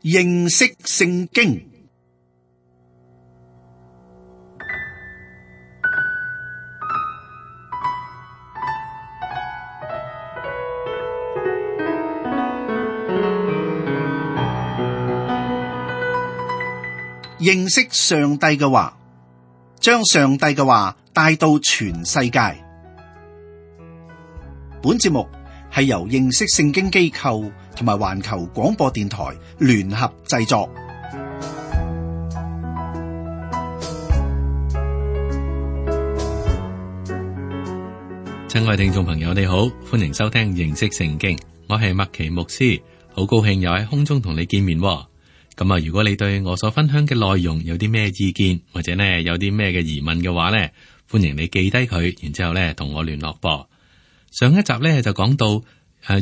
認識聖經。認識上帝嘅話，將上帝嘅話帶到全世界。本節目係由認識聖經機構同埋環球廣播電台聯合製作。親愛聽眾朋友，你好，歡迎收聽認識聖經。我係麥奇牧師，好高興又喺空中同你見面。咁啊，如果你對我所分享嘅內容有啲咩意見，或者呢有啲咩嘅疑問嘅話呢，歡迎你記低佢，然之後呢同我聯絡噃。上一集呢就講到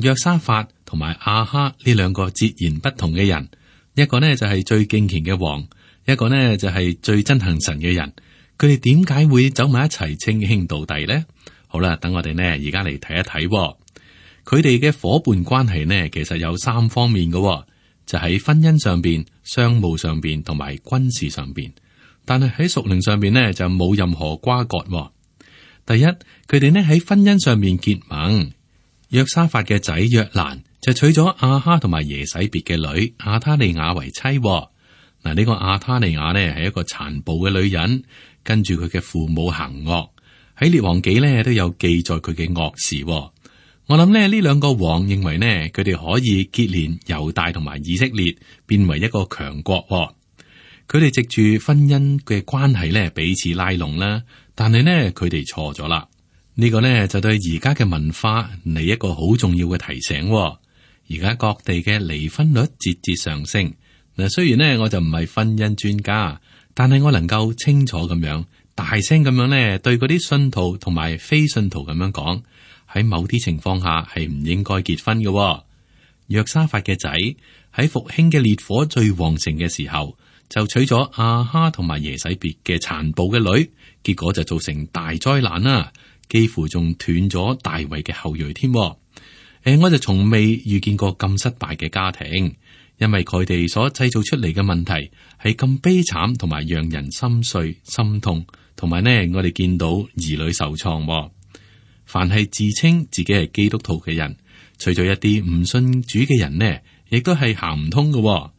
約沙法同埋亞哈呢兩個截然不同嘅人，一個呢就係最敬虔嘅王，一個呢就係最憎恨神嘅人。佢哋點解會走埋一齊稱兄道弟呢？好啦，等我哋呢而家嚟睇一睇，佢哋嘅伙伴關係呢，其實有三方面嘅。就喺婚姻上邊、商務上邊同埋軍事上邊，但係喺屬靈上邊呢，就冇任何瓜葛。第一，佢哋呢喺婚姻上面結盟，約沙法嘅仔約蘭就娶咗亞哈同埋耶洗別嘅女亞他利雅為妻。嗱，呢個亞他利雅呢係一個殘暴嘅女人，跟住佢嘅父母行惡，喺列王紀呢都有記載佢嘅惡事。我諗呢兩個王認為呢，佢哋可以結連猶大同埋以色列，變為一個強國。佢哋藉住婚姻嘅關係呢，彼此拉攏啦。但係呢，佢哋錯咗啦。呢個呢，就對而家嘅文化嚟一個好重要嘅提醒。而家各地嘅離婚率節節上升。嗱，雖然呢，我就唔係婚姻專家，但係我能夠清楚咁樣、大聲咁樣呢，對嗰啲信徒同埋非信徒咁樣講。喺某啲情況下係唔應該結婚嘅。約沙法嘅仔喺復興嘅烈火最旺盛嘅時候，就娶咗亞哈同埋耶洗別嘅殘暴嘅女，結果就造成大災難啦，幾乎仲斷咗大衛嘅後裔添。我就從未遇見過咁失敗嘅家庭，因為佢哋所製造出嚟嘅問題係咁悲慘，同埋讓人心碎心痛，同埋呢，我哋見到兒女受創。凡係自稱自己係基督徒嘅人，除咗一啲唔信主嘅人呢，亦都係行唔通嘅。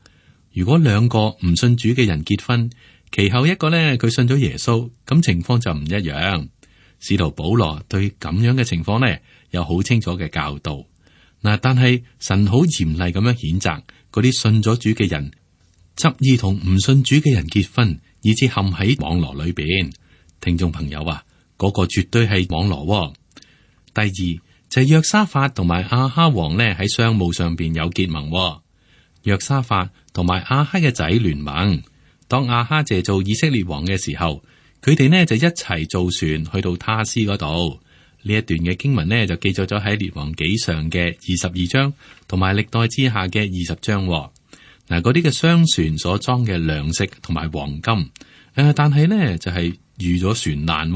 如果兩個唔信主嘅人結婚，其後一個呢，佢信咗耶穌，咁情況就唔一樣。使徒保羅對咁樣嘅情況呢，有好清楚嘅教導。嗱，但係神好嚴厲咁樣譴責嗰啲信咗主嘅人，執意同唔信主嘅人結婚，以致陷喺網羅裏邊。聽眾朋友啊，嗰個絕對係網羅。第二就係約沙法同埋亞哈王呢，喺商務上邊有結盟。約沙法同埋亞哈嘅仔聯盟，當亞哈謝做以色列王嘅時候，佢哋呢就一齊造船去到他施嗰度。呢一段嘅經文呢就記載咗喺列王紀上嘅22章同埋歷代志下嘅20章。嗱，嗰啲嘅商船所裝嘅糧食同埋黃金，但係呢就係遇咗船難。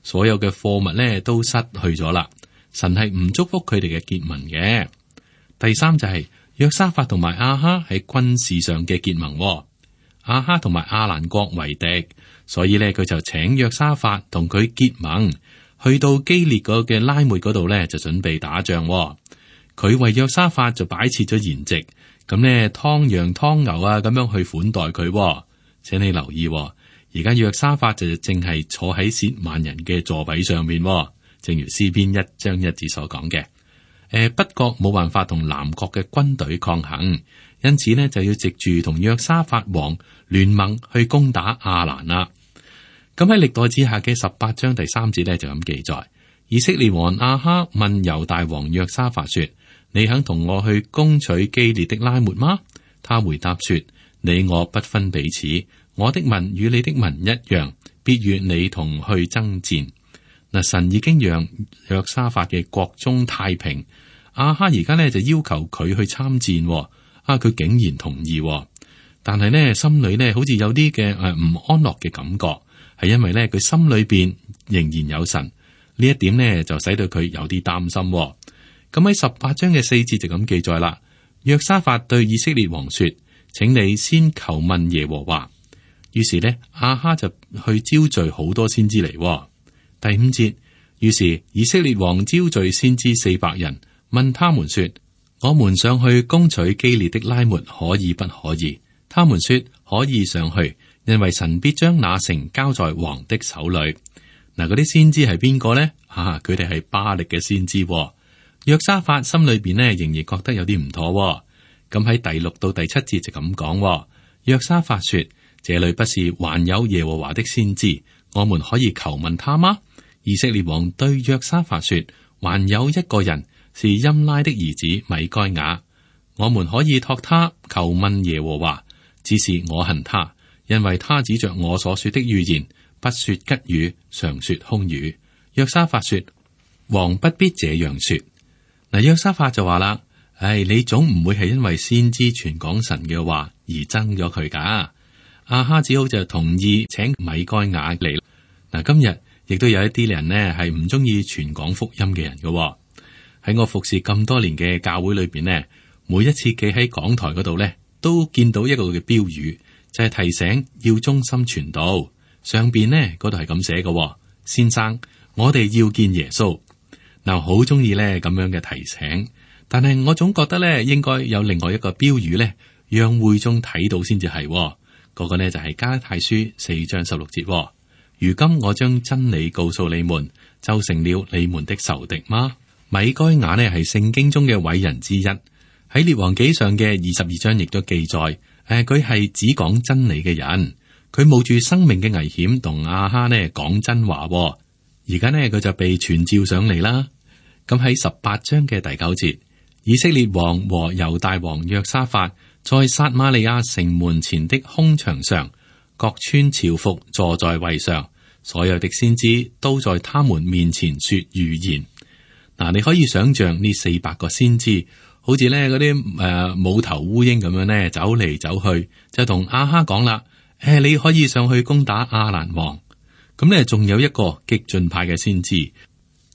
所有嘅貨物咧都失去咗啦，神係唔祝福佢哋嘅結盟嘅。第三就係約沙法同埋亞哈喺軍事上嘅結盟。亞哈同埋亞蘭國為敵，所以咧佢就請約沙法同佢結盟，去到基列嗰嘅拉末嗰度咧就準備打仗。佢為約沙法就擺設咗筵席，咁咧湯羊湯牛啊咁樣去款待佢。請你留意。而家約沙法就淨係坐喺褻慢人嘅座位上面，正如詩篇1章1節所講嘅。北國冇辦法同南國嘅軍隊抗衡，因此呢就要藉住同約沙法王聯盟去攻打亞蘭啦。咁喺歷代志下嘅18章第3節呢就咁記載：以色列王亞哈問猶大王約沙法說：你肯同我去攻取基列的拉末嗎？他回答說：你我不分彼此。我的民與你的民一樣，必與你同去爭戰。嗱，神已經讓約沙法嘅國中太平，亞哈而家呢就要求佢去參戰，佢竟然同意，但係呢心裏呢好似有啲嘅唔安樂嘅感覺，係因為呢佢心裏邊仍然有神，呢一點呢就使到佢有啲擔心。咁喺18章嘅4節就咁記載啦，約沙法對以色列王說：請你先求問耶和華。於是呢，亞哈就去招聚好多先知嚟。第5節，於是以色列王招聚先知400人，問他們說：我們上去攻取基列的拉末可以不可以？他們說可以上去，因為神必將那城交在王的手裏。嗱，嗰啲先知係邊個呢？佢哋係巴力嘅先知。約沙法心裏邊呢，仍然覺得有啲唔妥。咁喺第6到第7節就咁講。約沙法說：這裏不是還有耶和華的先知，我們可以求問他嗎？以色列王對約沙法說：還有一個人是音拉的兒子米該雅，我們可以託他求問耶和華。只是我恨他，因為他指着我所說的預言，不說吉語，常說空語。約沙法說：王不必這樣說。嗱，約沙法就話啦：你總唔會係因為先知傳講神嘅話而憎咗佢噶。亞哈只好就同意請米該雅嚟。嗱，今日亦都有一啲人呢係唔中意傳講福音嘅人嘅。喺我服侍咁多年嘅教會裏邊呢，每一次企喺講台嗰度呢，都見到一個嘅標語，就係提醒要忠心傳道。上邊呢嗰度係咁寫嘅：先生，我哋要見耶穌。嗱，好中意呢咁樣嘅提醒，但係我總覺得呢應該有另外一個標語呢，讓會眾睇到先至係。嗰個呢就係加拉太書4章16節。如今我將真理告訴你們，就成了你們的仇敵嗎？米該雅呢係聖經中嘅偉人之一，喺列王紀上嘅22章亦都記載。佢係只講真理嘅人，佢冒住生命嘅危險同亞哈呢講真話。而家呢，佢就被傳召上嚟啦。咁喺18章嘅第9節，以色列王和猶大王約沙法在撒瑪利亞城門前的空場上，各穿朝服坐在位上，所有的先知都在他們面前說預言。嗱，你可以想象呢400個先知，好似咧嗰啲冇頭烏蠅咁樣咧，走嚟走去，就同亞哈講啦：你可以上去攻打亞蘭王。咁咧，仲有一個激進派嘅先知，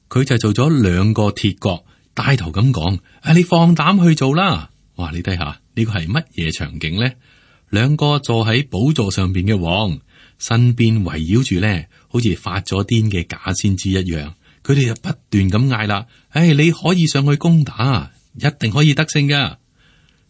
佢就做咗2個鐵角，帶頭咁講：你放膽去做啦！哇，你睇下呢個係乜嘢場景咧？2個坐喺寶座上邊嘅王，身邊圍繞住咧，好似發咗癲嘅假先知一樣。佢哋就不斷咁嗌啦：你可以上去攻打，一定可以得勝噶。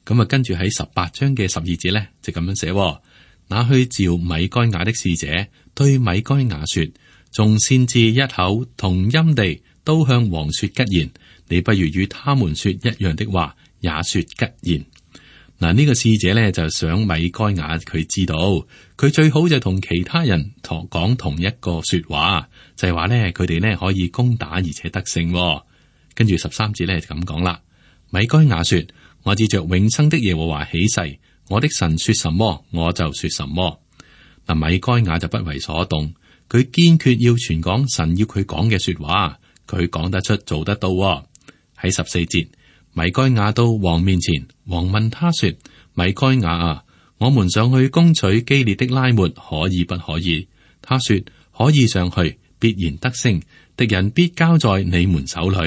咁啊，跟住喺18章嘅12節咧，就咁樣寫：那去召米該雅的使者對米該雅說：眾先知一口同音地都向王說吉言，你不如與他們說一樣的話，也說吉言。嗱，呢個使者咧就想米該雅佢知道，佢最好就同其他人講同一個說話，就係話咧佢哋咧可以攻打而且得勝。跟住13節咧就咁講啦：米該雅說：我指着永生的耶和華起誓，我的神說什麼，我就說什麼。嗱，米該雅就不為所動，佢堅決要傳講神要佢講嘅說話，佢講得出，做得到。喺14節，米該雅到王面前，王問他說：米該雅啊，我們上去攻取基列的拉末可以不可以？他說：可以上去，必然得勝，敵人必交在你們手裏。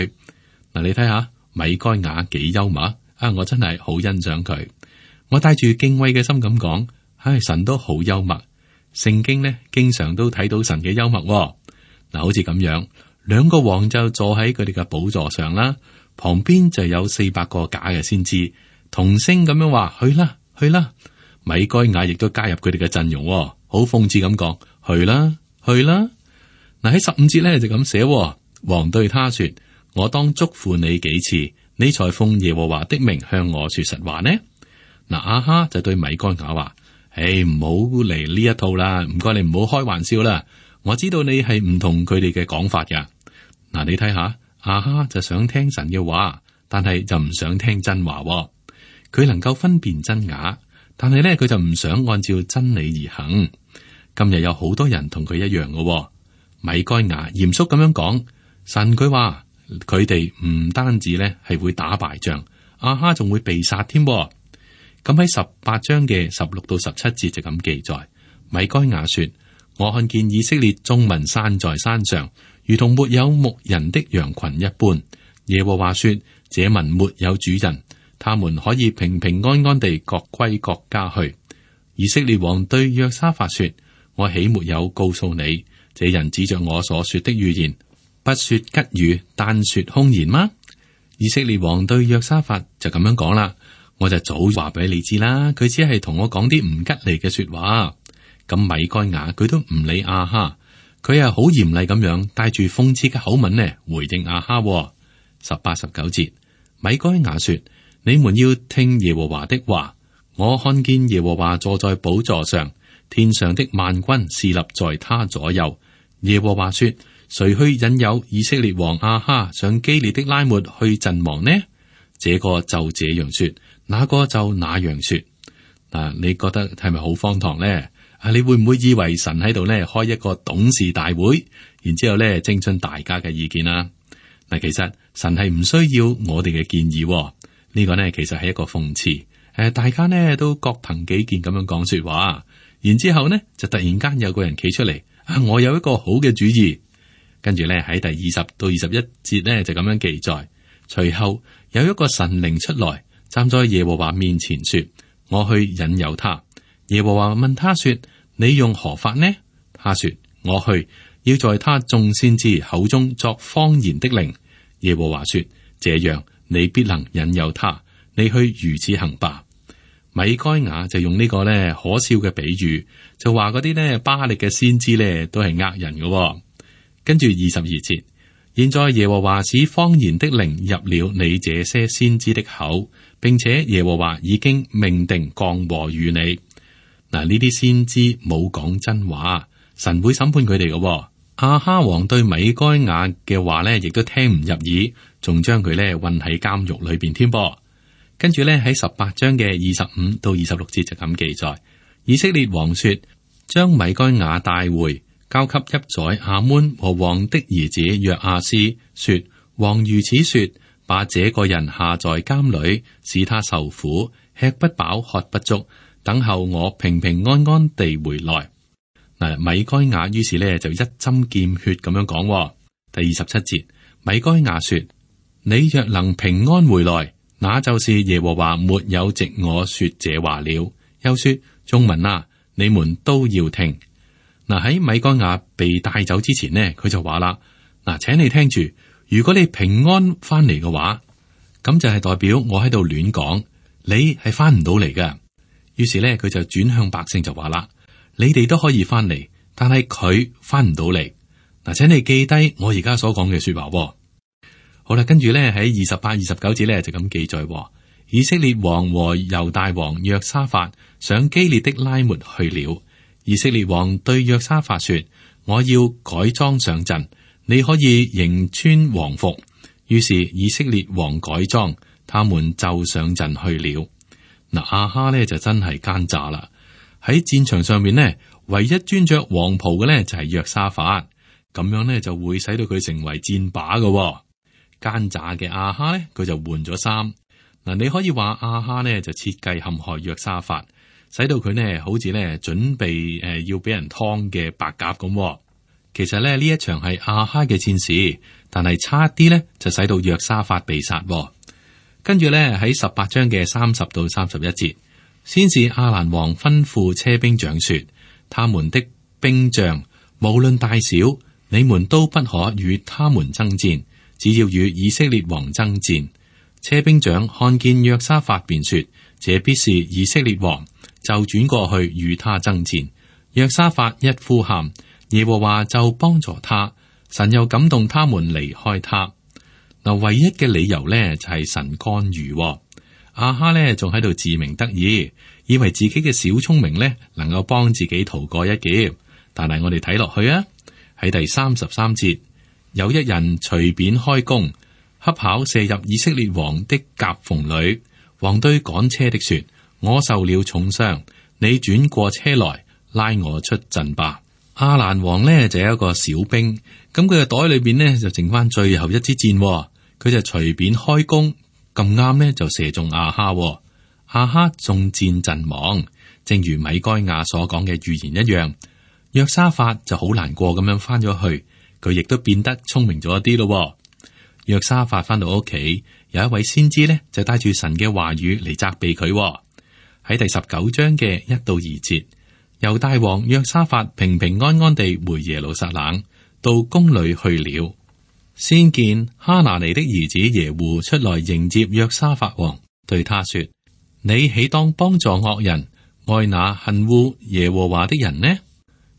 嗱，你睇下米該雅幾幽默啊！我真係好欣賞佢。我帶住敬畏嘅心咁講，神都好幽默。聖經呢，經常都睇到神嘅幽默。嗱，好似咁樣，2個王就坐喺佢哋嘅寶座上啦，旁邊就有400個假嘅先知，同聲咁樣話：去啦，去啦！米該雅亦都加入佢哋嘅陣容，好諷刺咁講：去啦，去啦！嗱，喺15節咧就咁寫，王對他說：我當囑咐你幾次，你才奉耶和華的名向我說實話呢？嗱，亞哈就對米該雅話：唔好嚟呢一套啦，唔該你唔好開玩笑啦。我知道你係唔同佢哋嘅講法噶。嗱，你睇下，亞哈就想聽神嘅話，但係就唔想聽真話。佢能夠分辨真假，但係咧佢就唔想按照真理而行。今日有好多人同佢一樣嘅。米該雅嚴肅咁樣講，神佢話佢哋唔單止咧係會打敗仗，亞哈仲會被殺添。咁喺18章嘅16到17節就咁記載，米該雅說：我看見以色列眾民散在山上，如同沒有牧人的羊群一般。耶和華說：這民沒有主人，他們可以平平安安地各歸各家去。以色列王對約沙法說：我豈沒有告訴你，這人指着我所說的預言，不說吉語，單說凶言嗎？以色列王對約沙法就咁樣講啦，我就早話俾你知啦，佢只係同我講啲唔吉利嘅說話。咁米該雅佢都唔理亞哈，佢係好嚴厲咁樣帶住諷刺嘅口吻呢回應亞哈。18、19節，米該雅說：你們要聽耶和華的話，我看見耶和華坐在寶座上，天上的萬軍侍立在他左右。耶和華說：誰去引誘以色列王亞哈上基列的拉末去陣亡呢？這個就這樣說，那個就那樣說。嗱，你覺得係咪好荒唐呢？你會唔會以為神喺度咧開一個董事大會，然之後咧徵詢大家嘅意見啊？嗱，其實神係唔需要我哋嘅建議，呢個呢，其實係一個諷刺。大家呢都各憑己見咁樣講說話，然之後呢就突然間有個人企出嚟，我有一個好嘅主意。跟住咧喺第20到21節呢就咁樣記載。隨後有一個神靈出來，站在耶和華面前說：我去引誘他。耶和華問他說：你用何法呢？他說：我去，要在他眾先知口中作謊言的靈。耶和華說：這樣你必能引誘他，你去如此行吧。米該雅就用呢個咧可笑嘅比喻，就話嗰啲咧巴力嘅先知咧都係呃人嘅。跟住22節，現在耶和華使謊言的靈入了你這些先知的口，並且耶和華已經命定降禍與你。嗱，呢啲先知冇講真話，神會審判佢哋嘅。亞哈王對米該雅嘅話咧，亦都聽唔入耳，仲將佢咧困喺監獄裏邊添噃。跟住咧喺18章嘅25到26節就咁記載，以色列王說：將米該雅帶回，交給邑宰亞捫和王的兒子約阿斯，說：王如此說，把這個人下在監裏，使他受苦，吃不飽，喝不足。等候我平平安安地回來。嗱，米該雅於是呢就一針見血咁樣講。第27節，米該雅說：你若能平安回來，那就是耶和華沒有藉我說這話了。又說：眾民啊，你們都要聽。嗱，喺米該雅被帶走之前呢，佢就話啦：嗱，請你聽住，如果你平安翻嚟嘅話，咁就係代表我喺度亂講，你係翻唔到嚟㗎。於是咧，佢就轉向百姓就話啦：你哋都可以翻嚟，但係佢翻唔到嚟。嗱，請你記低我而家所講嘅說話。好啦，跟住咧喺28、29節咧就咁記載：以色列王和猶大王約沙法上基列的拉末去了。以色列王對約沙法說：我要改裝上陣，你可以迎穿王服。於是以色列王改裝，他們就上陣去了。嗱，亞哈呢就真係奸詐啦！喺戰場上面呢，唯一穿着黃袍嘅呢就係約沙法，咁樣呢就會使到佢成為戰靶嘅。奸詐嘅亞哈呢，佢就換咗衫。嗱，你可以話亞哈呢就設計陷害約沙法，使到佢呢好似呢準備要俾人劏嘅白鴿咁。其實呢一場係亞哈嘅戰事，但係差啲呢就使到約沙法被殺。跟住咧喺18章嘅30到31節，先是亞蘭王吩咐車兵長說：他們的兵將無論大小，你們都不可與他們爭戰，只要與以色列王爭戰。車兵長看見約沙法，便說：這必是以色列王，就轉過去與他爭戰。約沙法一呼喊，耶和華就幫助他，神又感動他們離開他。嗱，唯一嘅理由呢，就係神干預。亞哈呢仲喺度自鳴得意，以為自己嘅小聰明呢能夠幫自己逃過一劫。但係我哋睇落去啊，喺第33節，有一人隨便開弓，恰巧射入以色列王的夾縫裏。王對趕車的說：我受了重傷，你轉過車來拉我出陣吧。亞蘭王呢就有一個小兵，咁佢嘅袋裏邊呢就剩翻最後一支箭，佢就隨便開弓，咁啱呢就射中亞哈。亞哈中箭陣亡，正如米該雅所講嘅預言一樣。約沙法就好難過咁樣翻咗去，佢亦都變得聰明咗一啲咯。約沙法翻到屋企，有一位先知呢，就帶住神嘅話語嚟責備佢喎。喺第19章嘅1到2節，猶大王約沙法平平安安地回耶路撒冷，到宮裏去了。先見哈拿尼的兒子耶戶出來迎接約沙法王，對他說：你豈當幫助惡人，愛那恨惡耶和華的人呢？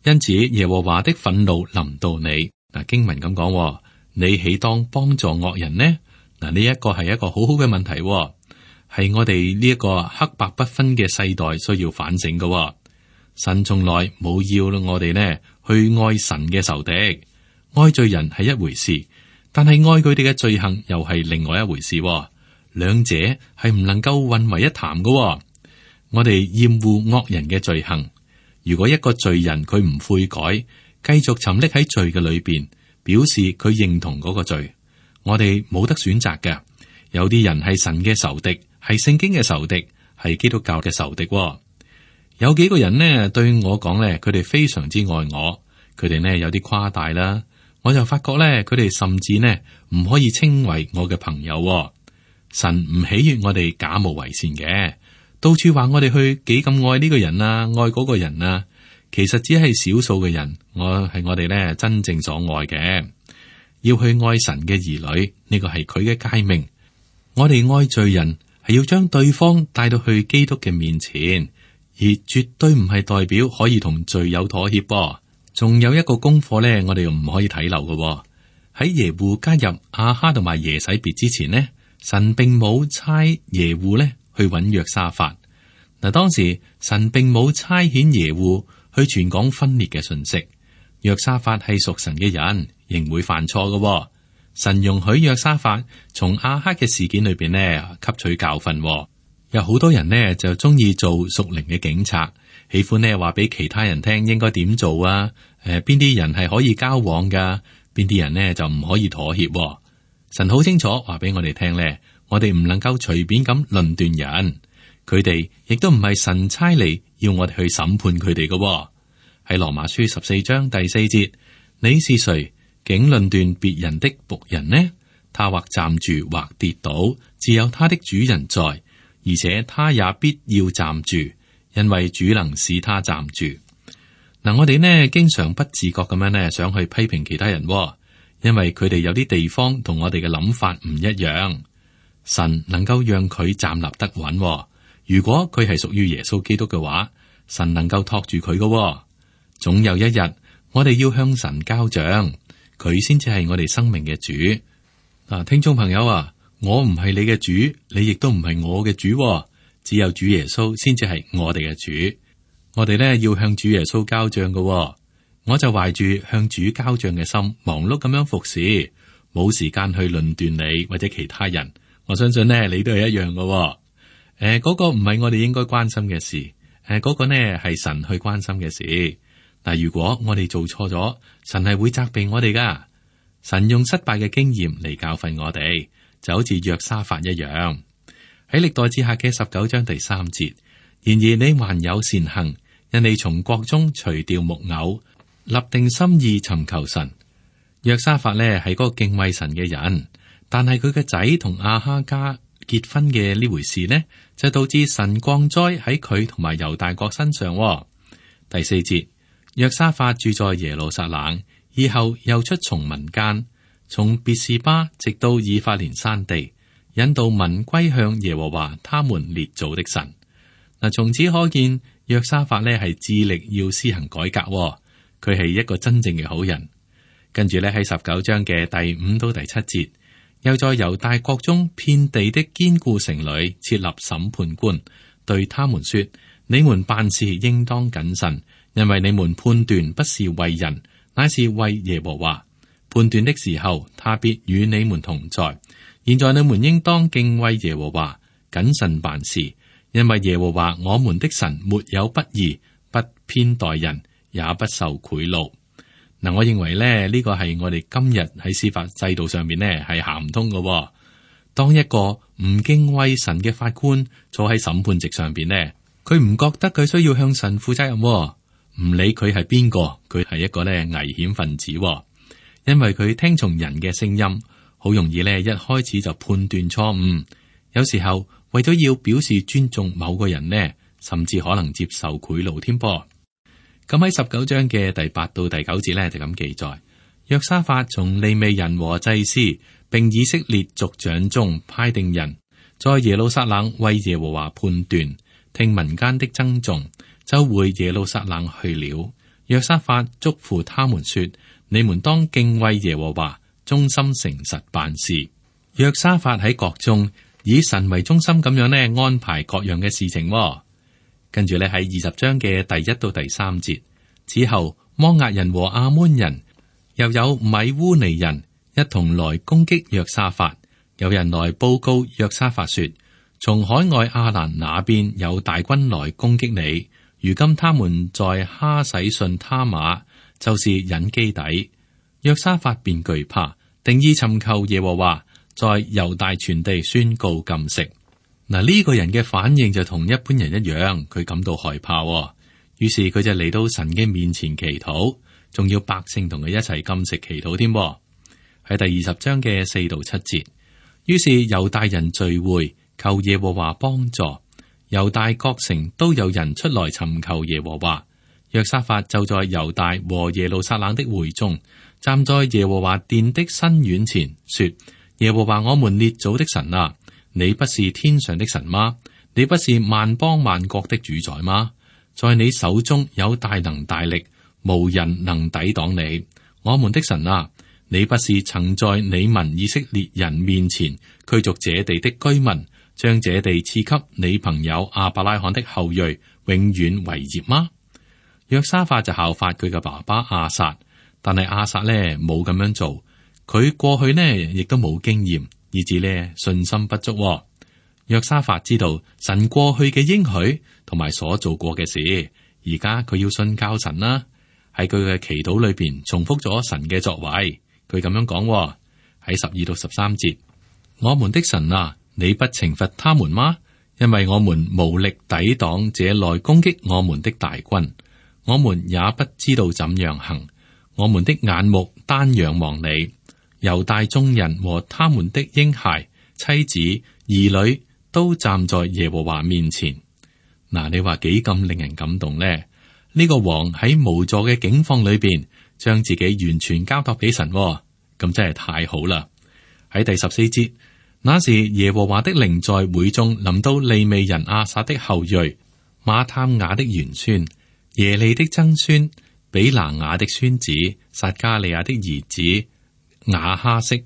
因此耶和華的憤怒臨到你。嗱，經文咁講，你豈當幫助惡人呢？嗱，呢一個係一個好好嘅問題，係我哋呢一個黑白不分嘅世代需要反省嘅。神從來冇要我哋呢去愛神嘅仇敵，愛罪人係一回事，但係愛佢哋嘅罪行又係另外一回事。兩者係唔能夠混為一談嘅。我哋厭惡惡人嘅罪行，如果一個罪人佢唔悔改，繼續沉溺喺罪嘅裏邊，表示佢認同嗰個罪，我哋冇得選擇嘅。有啲人係神嘅仇敵，係聖經嘅仇敵，係基督教嘅仇敵。有幾個人呢對我講呢，佢哋非常之愛我，佢哋呢有啲誇大啦，我就發覺呢，佢哋甚至呢唔可以稱為我嘅朋友。神唔喜悅我哋假冒為善嘅，到處話我哋去幾咁愛呢個人啊，愛嗰個人啊，其實只係少數嘅人，我哋呢真正所愛嘅。要去愛神嘅兒女，呢個係佢嘅誡命。我哋愛罪人係要將對方帶到去基督嘅面前，而絕對唔係代表可以同罪友妥協。仲有一個功課呢，我哋唔可以睇漏嘅。喺耶戶加入亞哈同埋耶洗別之前呢，神並冇差耶戶呢去揾約沙法。嗱，當時神並冇差遣耶戶去傳講分裂嘅信息。約沙法係屬神嘅人，仍會犯錯嘅。神容許約沙法從亞哈嘅事件裏邊呢吸取教訓。有好多人呢就中意做屬靈嘅警察，喜歡呢話俾其他人聽應該點做啊。邊啲人係可以交往噶，邊啲人呢就唔可以妥協。神好清楚話俾我哋聽呢，我哋唔能夠隨便咁論斷人，佢哋亦都唔係神差嚟要我哋去審判佢哋嘅。喺羅馬書14章第4節，你是誰竟論斷別人的僕人呢？他或站住或跌倒，自有他的主人在，而且他也必要站住，因為主能使他站住。嗱，我哋呢經常不自覺咁樣呢想去批評其他人，因為佢哋有啲地方同我哋嘅諗法唔一樣。神能夠讓佢站立得穩，如果佢係屬於耶穌基督嘅話，神能夠托住佢嘅。總有一日，我哋要向神交賬，佢先至係我哋生命嘅主。嗱，聽眾朋友啊，我唔係你嘅主，你亦都唔係我嘅主，只有主耶穌先至係我哋嘅主。我哋呢要向主耶穌交賬嘅，我就懷住向主交賬嘅心，忙碌咁樣服侍，冇時間去論斷你或者其他人。我相信呢，你都係一樣嘅。嗰個唔係我哋應該關心嘅事，嗰個呢係神去關心嘅事。但如果我哋做錯咗，神係會責備我哋噶。神用失敗嘅經驗嚟教訓我哋，就好似約沙法一樣。喺歷代志下嘅19章第3節，然而你還有善行，因你從國中除掉木偶，立定心意尋求神。約沙法呢係嗰個敬畏神嘅人，但係佢嘅仔同亞哈家結婚嘅呢回事呢，就導致神降災喺佢同埋猶大國身上。第4節。約沙法住在耶路撒冷，以後又出從民間，從別是巴直到以法蓮山地，引導民歸向耶和華他們列祖的神。嗱，從此可見約沙法呢係致力要施行改革，佢係一個真正嘅好人。跟住呢喺19章嘅第5到第7節，又在猶大國中遍地的堅固城裏設立審判官，對他們說：你們辦事應當謹慎。因為你們判斷不是為人，乃是為耶和華。判斷的時候，他必與你們同在。現在你們應當敬畏耶和華，謹慎辦事。因為耶和華我們的神沒有不義，不偏待人，也不受賄賂。嗱，我認為咧呢個係我哋今日喺司法制度上面呢係行唔通嘅。當一個唔敬畏神嘅法官坐喺審判席上邊呢，佢唔覺得佢需要向神負責任。唔理佢係邊個，佢係一個咧危險分子，因為佢聽從人嘅聲音，好容易咧一開始就判斷錯誤。有時候為咗要表示尊重某個人呢，甚至可能接受賄賂添噃。咁喺19章嘅第8到第9節咧就咁記載：約沙法從利未人和祭司並以色列族長中派定人，在耶路撒冷為耶和華判斷，聽民間的爭訟，就回耶路撒冷去了。約沙法囑咐他們說：你們當敬畏耶和華，忠心誠實辦事。約沙法喺國中以神為中心咁樣呢安排各樣嘅事情。跟住咧喺20章嘅第1到第3節，此後摩押人和亞捫人又有米烏尼人一同來攻擊約沙法。有人來報告約沙法說：從海外亞蘭那邊有大軍來攻擊你，如今他們在哈洗遜他瑪，就是隱基底。約沙法便懼怕，定意尋求耶和華，在猶大全地宣告禁食。嗱，呢個人嘅反應就同一般人一樣，佢感到害怕，於是佢就嚟到神嘅面前祈禱，仲要百姓同佢一齊禁食祈禱添。喺第20章嘅4到7節，於是猶大人聚會，求耶和華幫助。猶大各城都有人出來尋求耶和華。約沙法就在猶大和耶路撒冷的會中，站在耶和華殿的新院前，說：耶和華我們列祖的神啊，你不是天上的神嗎？你不是萬邦萬國的主宰嗎？在你手中有大能大力，無人能抵擋你。我們的神啊，你不是曾在你民以色列人面前驅逐這地的居民，將這地賜給你朋友亞伯拉罕的後裔，永遠為業嗎？約沙法就效法佢嘅爸爸亞撒，但係亞撒呢冇咁樣做，佢過去呢亦都冇經驗，以致呢信心不足。約沙法知道神過去嘅應許同埋所做過嘅事，而家佢要信靠神啦。喺佢嘅祈禱裏邊重複咗神嘅作為，佢咁樣講喺12到13節：我們的神啊，你不懲罰他們嗎？因為我們無力抵擋這來攻擊我們的大軍，我們也不知道怎樣行。我們的眼目單仰望你，猶大眾人和他們的嬰孩、妻子、兒女都站在耶和華面前。嗱，你話幾咁令人感動呢？呢個王喺無助嘅境況裏邊，將自己完全交託俾神，咁真係太好啦！喺第14節，那時耶和華的靈在會中臨到利未人亞撒的後裔、馬探雅的玄孫、耶利的曾孫、比拿雅的孫子、撒迦利亞的兒子亞哈悉。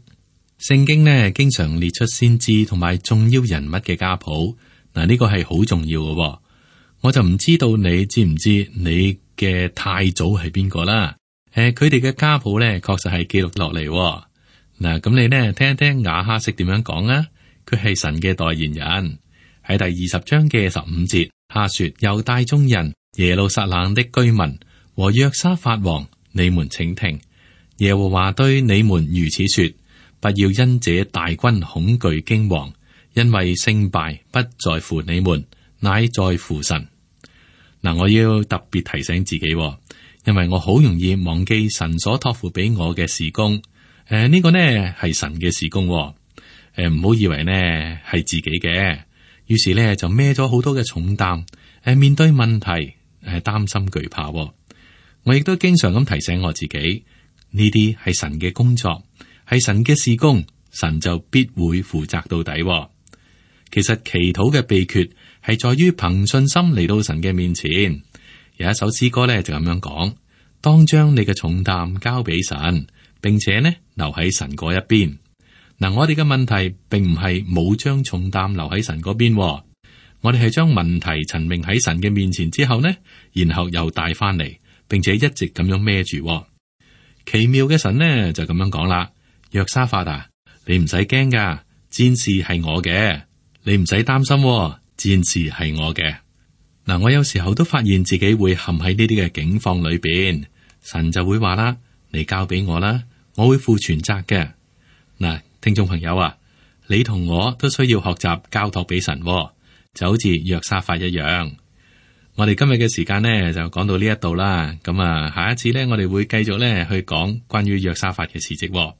聖經呢經常列出先知同埋重要人物嘅家譜，嗱，呢個係好重要嘅。我就唔知道你知唔知你嘅太祖係邊個啦？佢哋嘅家譜咧確實係記錄落嚟。嗱，咁你呢聽一聽亞哈悉點樣講啊？佢係神嘅代言人。喺第20章嘅15節，他說：猶大眾人、耶路撒冷的居民和約沙法王，你們請聽，耶和華對你們如此說：不要因這大軍恐懼驚惶，因為勝敗不在乎你們，乃在乎神。嗱，我要特別提醒自己，因為我好容易忘記神所託付俾我嘅事工。呢個呢係神嘅事工，唔好以為呢係自己嘅。於是呢就孭咗好多嘅重擔，面對問題，擔心懼怕。我亦都經常咁提醒我自己，呢啲係神嘅工作，係神嘅事工，神就必會負責到底。其實祈禱嘅秘訣係在於憑信心嚟到神嘅面前。有一首詩歌咧就咁樣講：當將你嘅重擔交俾神，並且呢留喺神嗰一邊。嗱，我哋嘅問題並唔係冇將重擔留喺神嗰邊，我哋係將問題陳明喺神嘅面前之後呢，然後又帶翻嚟，並且一直咁樣孭住。奇妙嘅神呢就咁樣講啦：約沙法啊，你唔使驚噶，戰士係我嘅。你唔使擔心，戰士係我嘅。嗱，我有時候都發現自己會陷喺呢啲嘅境況裏邊，神就會話啦：你交俾我啦，我會負全責嘅。嗱，聽眾朋友啊，你同我都需要學習交託俾神，就好似約沙法一樣。我哋今日嘅時間呢就講到呢一度啦。咁下一次呢，我哋會繼續呢去講關於約沙法嘅事蹟。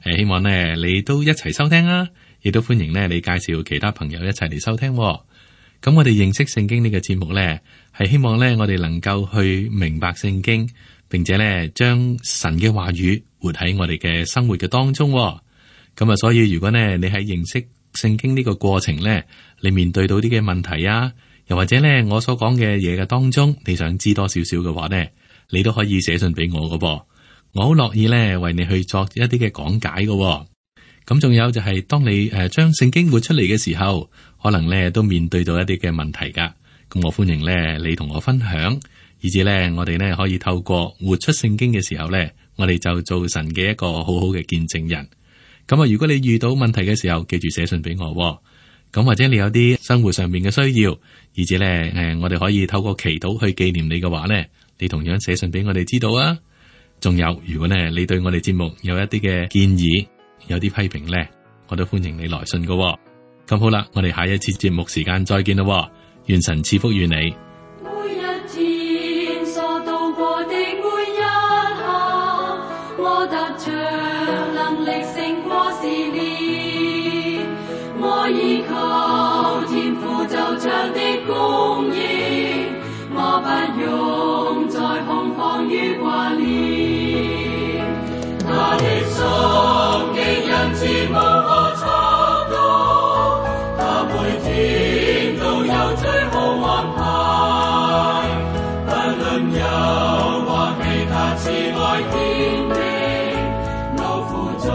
希望呢你都一齊收聽啊，亦都歡迎呢你介紹其他朋友一齊嚟收聽。咁我哋認識聖經呢個節目呢，係希望呢我哋能夠去明白聖經，並且呢將神嘅話語活喺我哋嘅生活嘅當中。咁啊，所以如果呢你喺認識聖經呢個過程呢，你面對到啲嘅問題啊，又或者呢我所講嘅嘢嘅當中，你想知多少少嘅話呢，你都可以寫信俾我㗎噃。我好樂意咧為你去作一啲嘅講解嘅。咁仲有就係當你將聖經活出嚟嘅時候，可能咧都面對到一啲嘅問題噶。咁我歡迎咧你同我分享，以至咧我哋咧可以透過活出聖經嘅時候咧，我哋就做神嘅一個好好嘅見證人。咁啊，如果你遇到問題嘅時候，記住寫信俾我。咁或者你有啲生活上面嘅需要，以至咧我哋可以透過祈禱去紀念你嘅話咧，你同樣寫信俾我哋知道啊。仲有，如果呢你對我哋節目有一啲嘅建議，有啲批評呢，我都歡迎你來信㗎。咁好啦，我哋下一次節目時間再見啦。願神賜福於你。每一天所度過的每一刻，我得着能力勝過試煉，我依靠天父就像的供應，我不用再恐慌與掛念。他的心極仁慈無可測度，他每天都有最好安排。不論憂或喜，他慈愛堅定，勞苦中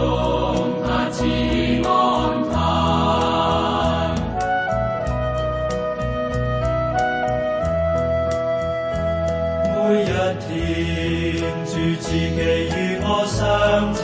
他賜安排。每一天主自己與我相親，